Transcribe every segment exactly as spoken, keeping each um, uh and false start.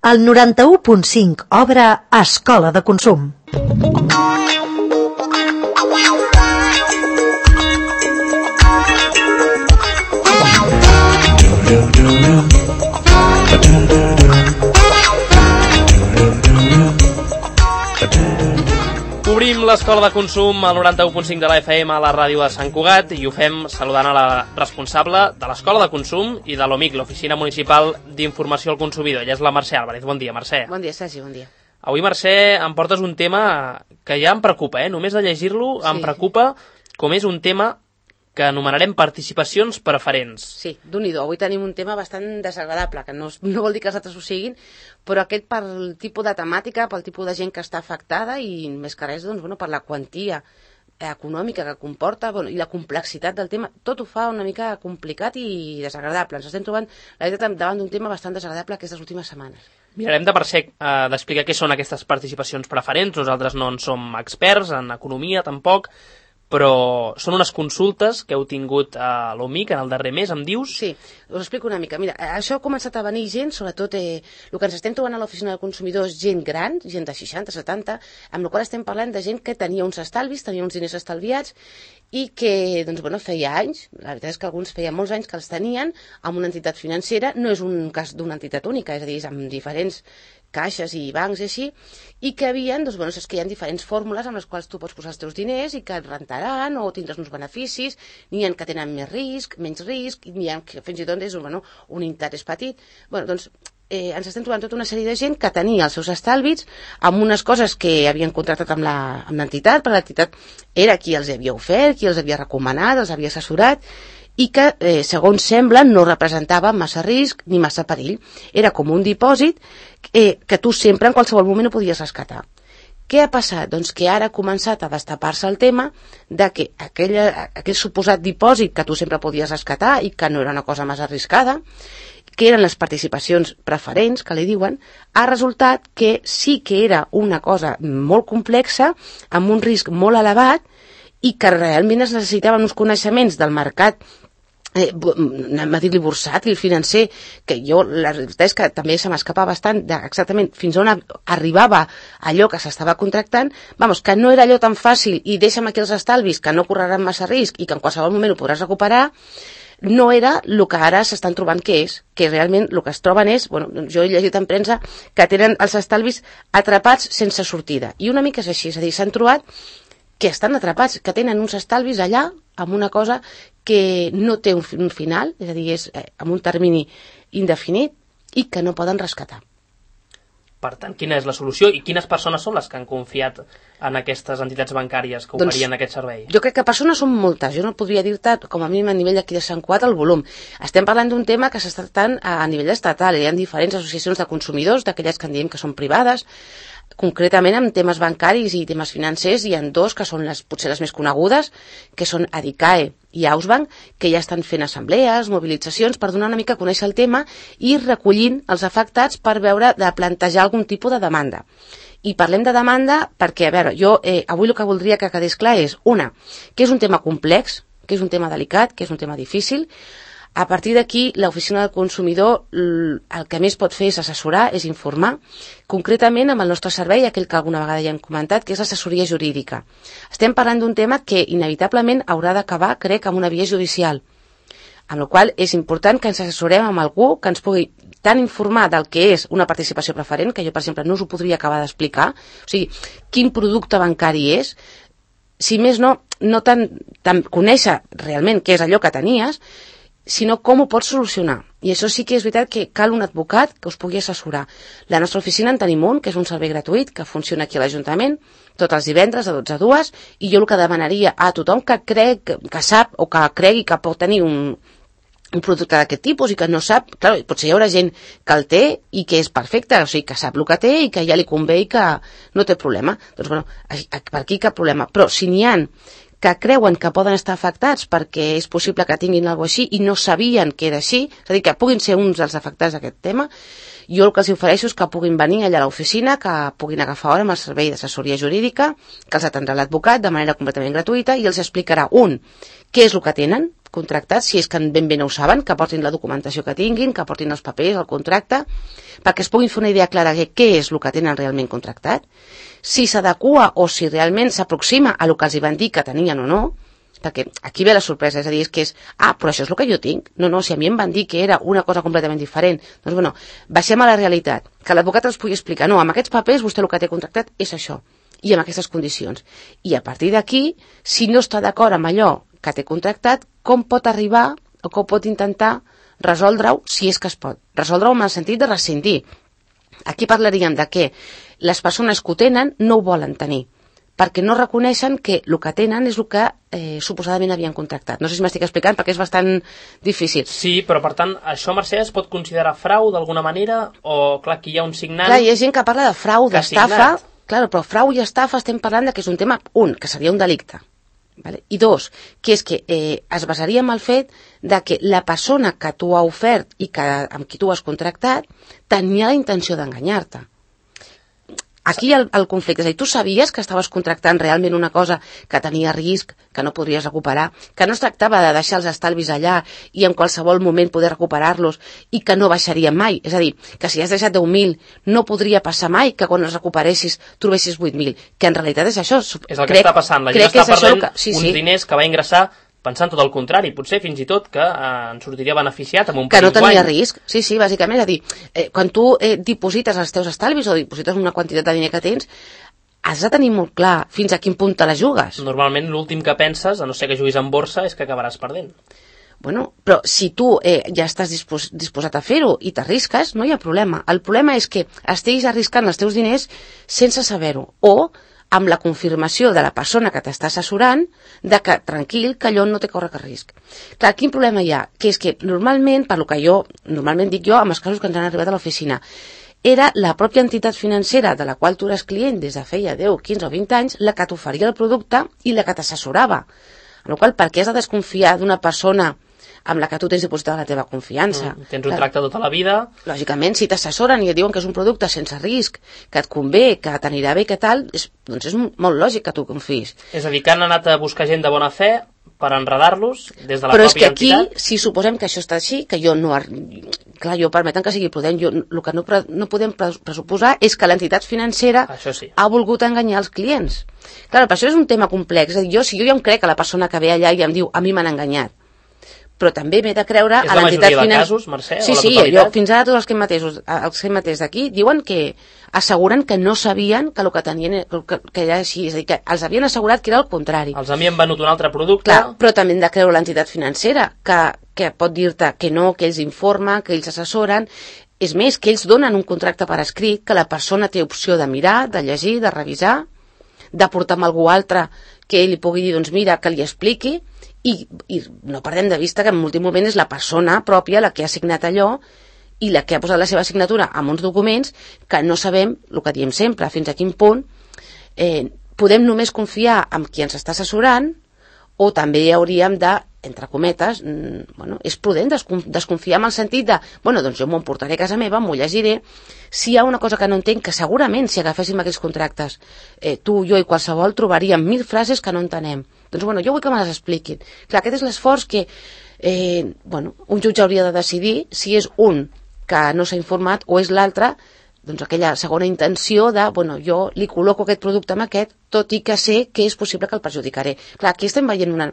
El noranta-u punt cinc obre Escola de Consum. Obrim l'Escola de Consum al noranta-u punt cinc de la F M a la ràdio de Sant Cugat i ho fem saludant a la responsable de l'Escola de Consum i de l'O M I C, l'Oficina Municipal d'Informació al Consumidor. Ella és la Mercè Álvarez. Bon dia, Mercè. Bon dia, Sergi, bon dia. Avui, Mercè, em portes un tema que ja em preocupa, eh? Només de llegir-lo sí. Em preocupa, com és un tema que anomenarem participacions preferents. Sí, d'un-i-do. Avui tenim un tema bastant desagradable, que no, no vol dir que els altres ho siguin, però aquest pel tipus de temàtica, pel tipus de gent que està afectada i més que res, doncs, bueno, per la quantia econòmica que comporta, bueno, i la complexitat del tema, tot ho fa una mica complicat i desagradable. Ens estem trobant, la veritat, davant d'un tema bastant desagradable aquestes últimes setmanes. Mirarem de per sec eh, d'explicar què són aquestes participacions preferents. Nosaltres no en som experts en economia, tampoc, però són unes consultes que heu tingut a l'O M I C en el darrer mes, em dius? Sí, us explico una mica. Mira, això ha començat a venir gent, sobretot eh, el que ens estem trobant a l'oficina de consumidors, gent gran, gent de seixanta, setanta, amb la qual estem parlant de gent que tenia uns estalvis, tenia uns diners estalviats i que, doncs, bueno, feia anys, la veritat és que alguns feia molts anys que els tenien amb una entitat financera, no és un cas d'una entitat única, és a dir, és amb diferents caixes i bancs i així, i que havien, doncs, bueno, saps que hi ha diferents fórmules amb les quals tu pots posar els teus diners i que et rentaran o tindràs uns beneficis, n'hi ha que tenen més risc, menys risc, n'hi ha que fins i tot és bueno, un interès petit. Bueno, doncs, eh, ens estem trobant tota una sèrie de gent que tenia els seus estalvis amb unes coses que havien contractat amb l'entitat, perquè l'entitat era qui els havia ofert, qui els havia recomanat, els havia assessorat, i que, eh, segons sembla, no representava massa risc ni massa perill. Era com un dipòsit eh, que tu sempre, en qualsevol moment, ho podies rescatar. Què ha passat? Doncs que ara ha començat a destapar-se el tema de que aquella, aquell suposat dipòsit que tu sempre podies rescatar i que no era una cosa massa arriscada, que eren les participacions preferents, que li diuen, ha resultat que sí que era una cosa molt complexa, amb un risc molt elevat, i que realment es necessitaven uns coneixements del mercat Eh, anem a dir-li bursàtil, financer, que jo, la veritat és que també se m'escapa bastant de exactament fins on arribava allò que s'estava contractant, vamos, que no era allò tan fàcil i deixa'm aquí els estalvis que no correran massa risc i que en qualsevol moment ho podràs recuperar, no era el que ara s'estan trobant que és, que realment el que es troben és, bueno, jo he llegit en premsa que tenen els estalvis atrapats sense sortida, i una mica és així, és a dir, s'han trobat que estan atrapats, que tenen uns estalvis allà amb una cosa que no té un final, és a dir, és eh, amb un termini indefinit i que no poden rescatar. Per tant, quina és la solució i quines persones són les que han confiat en aquestes entitats bancàries que oferien doncs, aquest servei? Jo crec que persones són moltes, jo no podria dir-te com a mínim a nivell d'aquí de Sant Cugat el volum. Estem parlant d'un tema que s'està tractant a nivell estatal, hi ha diferents associacions de consumidors, d'aquelles que en diem que són privades. Concretament amb temes bancaris i temes financers hi ha dos que són les, potser les més conegudes, que són Adicae i Ausbank, que ja estan fent assemblees, mobilitzacions per donar una mica a conèixer el tema i recollint els afectats per veure de plantejar algun tipus de demanda. I parlem de demanda perquè, a veure, jo eh, avui el que voldria que quedés clar és, una, que és un tema complex, que és un tema delicat, que és un tema difícil. A partir d'aquí, l'oficina del consumidor el que més pot fer és assessorar, és informar, concretament amb el nostre servei, aquell que alguna vegada ja hem comentat, que és l'assessoria jurídica. Estem parlant d'un tema que inevitablement haurà d'acabar, crec, amb una via judicial, amb la qual és important que ens assessorem amb algú que ens pugui tant informar del que és una participació preferent, que jo, per exemple, no us ho podria acabar d'explicar, o sigui, quin producte bancari és, si més no, no tant, tant conèixer realment què és allò que tenies, sinó com ho pots solucionar. I això sí que és veritat que cal un advocat que us pugui assessorar. La nostra oficina en tenim un, que és un servei gratuït, que funciona aquí a l'Ajuntament, tots els divendres de dotze a dues, i jo el que demanaria a tothom que crec, que sap o que cregui que pot tenir un, un producte d'aquest tipus i que no sap, clar, potser hi haurà gent que el té i que és perfecte, o sigui, que sap el que té i que ja li convé i que no té problema. Doncs, bueno, per aquí cap problema. Però si n'hi ha que creuen que poden estar afectats perquè és possible que tinguin alguna cosa així i no sabien que era així, és a dir, que puguin ser uns dels afectats d'aquest tema, Jo el que els ofereixo és que puguin venir allà a l'oficina, que puguin agafar hora amb el servei d'assessoria jurídica, que els atendrà l'advocat de manera completament gratuïta i els explicarà, un, què és el que tenen contractat, si és que ben bé no ho saben, que portin la documentació que tinguin, que portin els papers, el contracte, perquè es puguin fer una idea clara de què és el que tenen realment contractat, si s'adequa o si realment s'aproxima a el que els hi van dir que tenien o no, perquè aquí ve la sorpresa, és a dir, és que és, ah, però això és el que jo tinc. No, no, si a mi em van dir que era una cosa completament diferent. Doncs, bueno, baixem a la realitat, que l'advocat els pugui explicar, no, amb aquests papers vostè el que té contractat és això, i amb aquestes condicions. I a partir d'aquí, si no està d'acord amb allò que té contractat, com pot arribar o com pot intentar resoldre-ho, si és que es pot. Resoldre-ho en el sentit de rescindir. Aquí parlaríem de que les persones que ho tenen no ho volen tenir, perquè no reconeixen que el que tenen és el que eh, suposadament havien contractat. No sé si m'estic explicant, perquè és bastant difícil. Sí, però per tant, això, Mercè, es pot considerar frau d'alguna manera? O, clar, aquí hi ha un signant... Clar, hi ha gent que parla de frau, d'estafa, clar, però frau i estafa estem parlant de que és un tema, un, que seria un delicte, vale? I dos, que és que eh, es basaria en el fet de que la persona que tu ha ofert i que, amb qui tu has contractat tenia la intenció d'enganyar-te. Aquí el, el conflicte, és a dir, tu sabies que estaves contractant realment una cosa que tenia risc, que no podries recuperar, que no es tractava de deixar els estalvis allà i en qualsevol moment poder recuperar-los i que no baixarien mai. És a dir, que si has deixat deu mil no podria passar mai que quan els recuperessis trobessis vuit mil, que en realitat és això. És el que crec, està passant, la gent està perdent que... sí, uns sí. diners que va ingressar pensant tot el contrari, potser fins i tot que eh, en sortiria beneficiat amb un que no tenia guany. Risc, sí, sí, bàsicament, és a dir, eh, quan tu eh, diposites els teus estalvis o diposites una quantitat de diner que tens, has de tenir molt clar fins a quin punt te la jugues. Normalment l'últim que penses, a no ser que juguis en borsa, és que acabaràs perdent. Bueno, però si tu eh, ja estàs dispos, disposat a fer-ho i t'arrisques, no hi ha problema. El problema és que estiguis arriscant els teus diners sense saber-ho, o amb la confirmació de la persona que t'està assessorant de que, tranquil, que allò no té córrer risc. Clar, quin problema hi ha? Que és que normalment, per lo que jo, normalment dic jo, amb els casos que ens han arribat a l'oficina, era la pròpia entitat financera de la qual tu eres client des de feia deu, quinze o vint anys la que t'oferia el producte i la que t'assessorava. Amb la qual cosa, per què has de desconfiar d'una persona amb la que tu tens dipositada la teva confiança? Mm, tens un tracte tota la vida. Lògicament, si t'assessoren i et diuen que és un producte sense risc, que et convé, que t'anirà bé, que tal, és, doncs és molt lògic que tu confiïs. És a dir, que han anat a buscar gent de bona fe per enredar-los des de la Però pròpia és que entitat. Aquí, si suposem que això està així, que jo no... Clar, jo permeten que sigui prudent, jo, el que no, no podem pressuposar és que l'entitat financera sí. ha volgut enganyar els clients. Clar, per això és un tema complex. És a dir, jo, si jo ja em crec que la persona que ve allà i em diu a mi m'han enganyat, però també m'he de creure és a l'entitat financera. És la majoria de casos, Mercè? Sí, sí, jo, fins ara tots els que hem matesos, els que hem mateix d'aquí diuen que asseguren que no sabien que el que tenien que, que era així, és a dir, que els havien assegurat que era el contrari. Els havien venut un altre producte. Clar, però també hem de creure l'entitat financera, que, que pot dir-te que no, que ells informen, que ells assessoren. És més, que ells donen un contracte per escrit, que la persona té opció de mirar, de llegir, de revisar, de portar amb algú altre que ell li pugui dir, doncs mira, que li expliqui. I, i no perdem de vista que en l'últim moment és la persona pròpia la que ha signat allò i la que ha posat la seva signatura en uns documents que no sabem, el que diem sempre, fins a quin punt eh, podem només confiar en qui ens està assessorant, o també hauríem de, entre cometes, mm, bueno, és prudent desconfiar en el sentit de, bueno, doncs jo m'ho emportaré a casa meva, m'ho llegiré. Si hi ha una cosa que no entenc, que segurament si agaféssim aquells contractes, eh, tu, jo i qualsevol, trobaríem mil frases que no entenem. Doncs bueno, jo vull que me les expliquin. Clar, aquest és l'esforç que eh, bueno, un jutge hauria de decidir si és un que no s'ha informat o és l'altre, doncs aquella segona intenció de, bueno, jo li col·loco aquest producte amb aquest, tot i que sé que és possible que el perjudicaré. Clar, aquí estem veient una...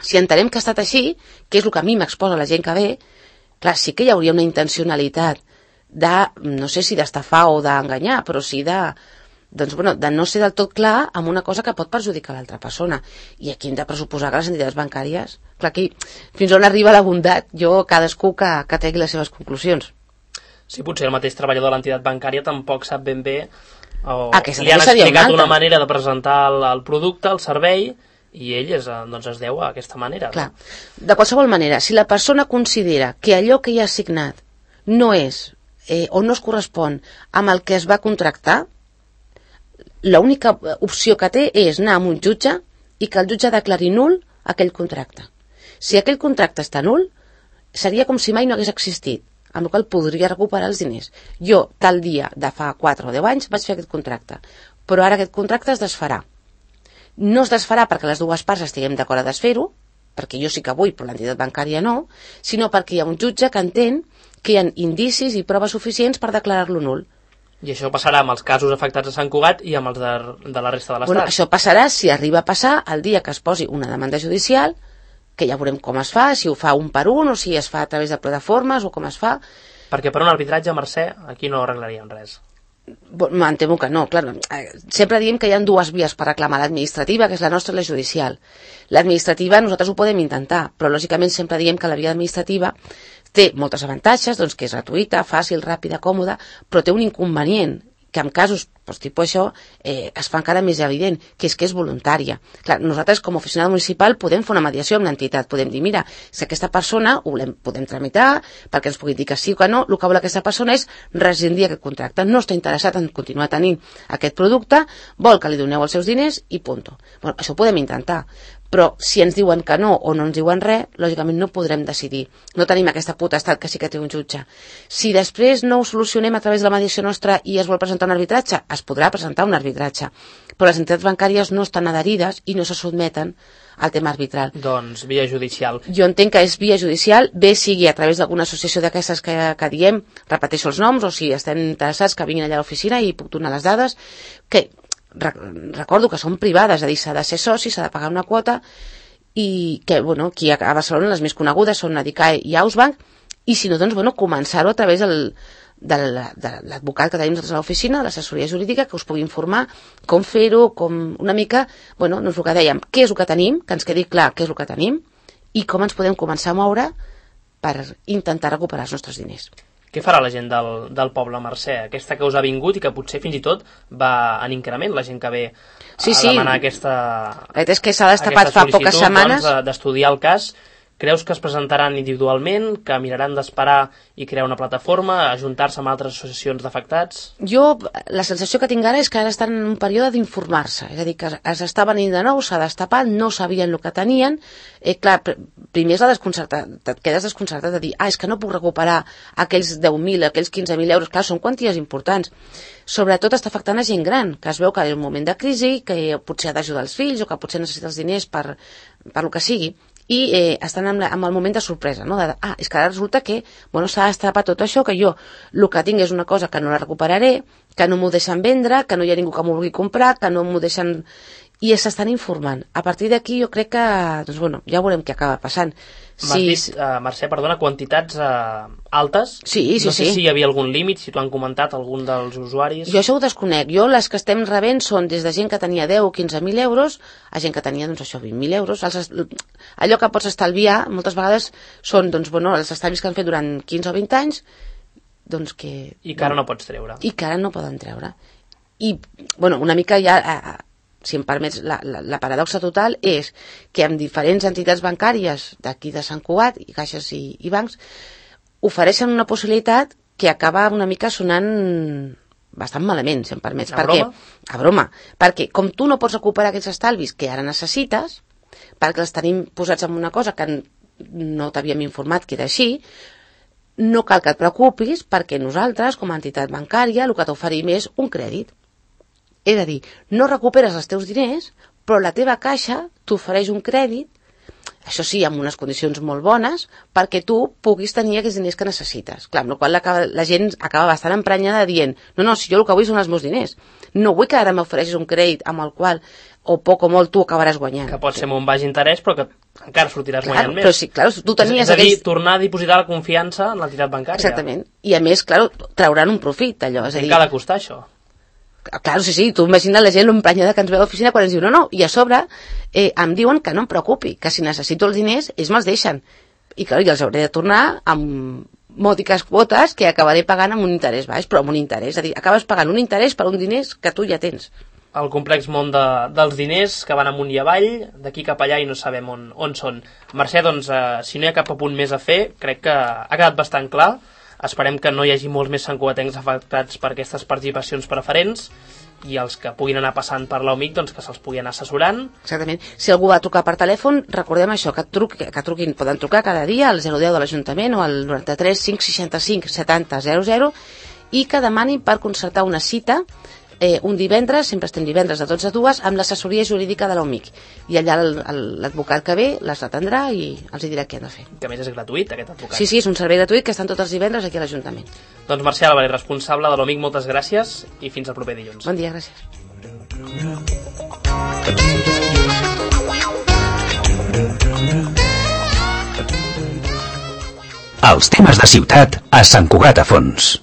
Si entenem que ha estat així, que és el que a mi m'exposa la gent que ve, clar, sí que hi hauria una intencionalitat de, no sé si d'estafar o d'enganyar, però sí de, doncs, bueno, de no ser del tot clar amb una cosa que pot perjudicar l'altra persona. I aquí hem de pressuposar que les entitats bancàries, clar, aquí fins on arriba la bondat, jo cadascú que, que tregui les seves conclusions. Sí, potser el mateix treballador de l'entitat bancària tampoc sap ben bé o Aquesta li han explicat una, una manera de presentar el, el producte, el servei, i ell es, doncs es deu a aquesta manera. Clar. De qualsevol manera, si la persona considera que allò que hi ha assignat no és eh, o no es correspon amb el que es va contractar, l'única opció que té és anar amb un jutge i que el jutge declari nul aquell contracte. Si aquell contracte està nul, seria com si mai no hagués existit. amb la qual podria recuperar els diners. Jo, tal dia de fa quatre o deu anys, vaig fer aquest contracte, però ara aquest contracte es desfarà. No es desfarà perquè les dues parts estiguem d'acord a desfer-ho, perquè jo sí que vull, però l'entitat bancària no, sinó perquè hi ha un jutge que entén que hi ha indicis i proves suficients per declarar-lo nul. I això passarà amb els casos afectats a Sant Cugat i amb els de, de la resta de l'Estat. Bueno, això passarà si arriba a passar el dia que es posi una demanda judicial, que ja veurem com es fa, si ho fa un per un o si es fa a través de plataformes o com es fa. Perquè per un arbitratge, Mercè, aquí no arreglaríem res. Em temo que no, clar. Sempre diem que hi ha dues vies per reclamar, l'administrativa, que és la nostra, i la judicial. L'administrativa nosaltres ho podem intentar, però lògicament sempre diem que la via administrativa té moltes avantatges, doncs que és gratuïta, fàcil, ràpida, còmoda, però té un inconvenient, que en casos doncs, tipus això eh, es fa encara més evident, que és que és voluntària. Clar, nosaltres com a oficina municipal podem fer una mediació amb l'entitat, podem dir, mira, si aquesta persona ho podem tramitar perquè ens pugui dir que sí o que no, el que vol aquesta persona és rescindir aquest contracte, no està interessat en continuar tenint aquest producte, vol que li doneu els seus diners i punt. Bueno, això ho podem intentar, però si ens diuen que no o no ens diuen res, lògicament no podrem decidir. No tenim aquesta potestat que sí que té un jutge. Si després no ho solucionem a través de la mediació nostra i es vol presentar un arbitratge, es podrà presentar un arbitratge. Però les entitats bancàries no estan adherides i no se sotmeten al tema arbitral. Doncs via judicial. Jo entenc que és via judicial, bé sigui a través d'alguna associació d'aquestes que, que diem, repeteixo els noms, o si estem interessats que vinguin allà a l'oficina i puc donar les dades, que recordo que són privades, és a dir, s'ha de ser soci, s'ha de pagar una quota, i que, bueno, aquí a Barcelona les més conegudes són Adicae i Ausbank, i si no, doncs, bueno, començar-ho a través del, de l'advocat que tenim nosaltres a l'oficina, de l'assessoria jurídica, que us pugui informar com fer-ho, com una mica, bueno, no és el que dèiem, què és el que tenim, que ens quedi clar què és el que tenim, i com ens podem començar a moure per intentar recuperar els nostres diners. Què farà la gent del, del poble, Mercè? Aquesta que us ha vingut i que potser fins i tot va en increment, la gent que ve sí, a sí. demanar aquesta, és que s'ha destapat fa poques setmanes. Doncs, d'estudiar el cas. Creus que es presentaran individualment, que miraran d'esperar i crear una plataforma, ajuntar-se amb altres associacions d'afectats? Jo, la sensació que tinc ara és que ara estan en un període d'informar-se, és a dir, que es està venint de nou, s'ha destapat, no sabien el que tenien, eh, clar, primer és la desconcertat, et quedes desconcertat de dir, ah, és que no puc recuperar aquells deu mil, aquells quinze mil euros, clar, són quanties importants. Sobretot està afectant a gent gran, que es veu que és un moment de crisi, que potser ha d'ajudar els fills o que potser necessita els diners per, per lo que sigui, i eh, estan amb, la, amb el moment de sorpresa, no? De, ah, és que ara resulta que bueno, s'ha destapat tot això, que jo el que tinc és una cosa que no la recuperaré, que no m'ho deixen vendre, que no hi ha ningú que m'ho vulgui comprar, que no m'ho deixen... I s'estan informant. A partir d'aquí jo crec que, doncs bueno, ja veurem què acaba passant. M'has sí. dit, uh, Mercè, perdona, quantitats uh, altes? Sí, sí, no sé sí. si hi havia algun límit, si t'ho han comentat algun dels usuaris. Jo això ho desconec. Jo les que estem rebent són des de gent que tenia deu o quinze mil euros a gent que tenia, doncs això, vint mil euros. Els, allò que pots estalviar, moltes vegades són, doncs, bueno, els estalvis que han fet durant quinze o vint anys, doncs que... I que ara no pots treure. I que ara no poden treure. I, bueno, una mica ja... Eh, si em permets, la, la, la paradoxa total és que amb diferents entitats bancàries d'aquí de Sant Cugat, i caixes i, i bancs, ofereixen una possibilitat que acaba una mica sonant bastant malament, si em permets. A perquè, broma? A broma. Perquè com tu no pots recuperar aquests estalvis que ara necessites, perquè els tenim posats en una cosa que no t'havíem informat que era així, no cal que et preocupis perquè nosaltres, com a entitat bancària, el que t'oferim és un crèdit. És a dir, no recuperes els teus diners, però la teva caixa t'ofereix un crèdit, això sí, amb unes condicions molt bones, perquè tu puguis tenir aquests diners que necessites. Clar, amb la qual cosa la gent acaba bastant emprenyada dient, no, no, si jo el que vull són els meus diners. No vull que ara m'ofereixis un crèdit amb el qual, o poc o molt, tu acabaràs guanyant. Que pot ser amb un baix interès, però que encara sortiràs clar, guanyant més. Però sí, clar, tu tenies és a dir, aquells... tornar a dipositar la confiança en l'entitat bancària. Exactament. I a més, clar, trauran un profit, allò. És a dir... Què ha de costar, això? Claro, sí, sí, tu imagina la gent l'emprenyada que ens ve a l'oficina quan ens diu no, no, i a sobre eh, em diuen que no em preocupi, que si necessito els diners ells me'ls deixen, i clar, jo els hauré de tornar amb mòdiques quotes que acabaré pagant amb un interès baix, però amb un interès, és a dir, acabes pagant un interès per un diners que tu ja tens. El complex món de, dels diners que van amunt i avall, d'aquí cap allà i no sabem on, on són. Mercè, doncs, eh, si no hi ha cap apunt més a fer, crec que ha quedat bastant clar. Esperem que no hi hagi molts més santcugatencs afectats per aquestes participacions preferents, i els que puguin anar passant per l'O M I C, doncs que se'ls pugui anar assessorant. Exactament. Si algú va trucar per telèfon, recordem això, que, truqui, que truquin, poden trucar cada dia al zero deu de l'Ajuntament o al noranta-tres cinc seixanta-cinc setanta zero zero i que demanin per concertar una cita eh, un divendres, sempre estem divendres de dotze a dues, amb l'assessoria jurídica de l'O M I C. I allà l'advocat que ve les atendrà i els dirà què han de fer. Que a més és gratuït, aquest advocat. Sí, sí, és un servei gratuït que estan tots els divendres aquí a l'Ajuntament. Doncs Mercè Álvarez, responsable de l'O M I C, moltes gràcies i fins al proper dilluns. Bon dia, gràcies. Els temes de ciutat a Sant Cugat a Fons.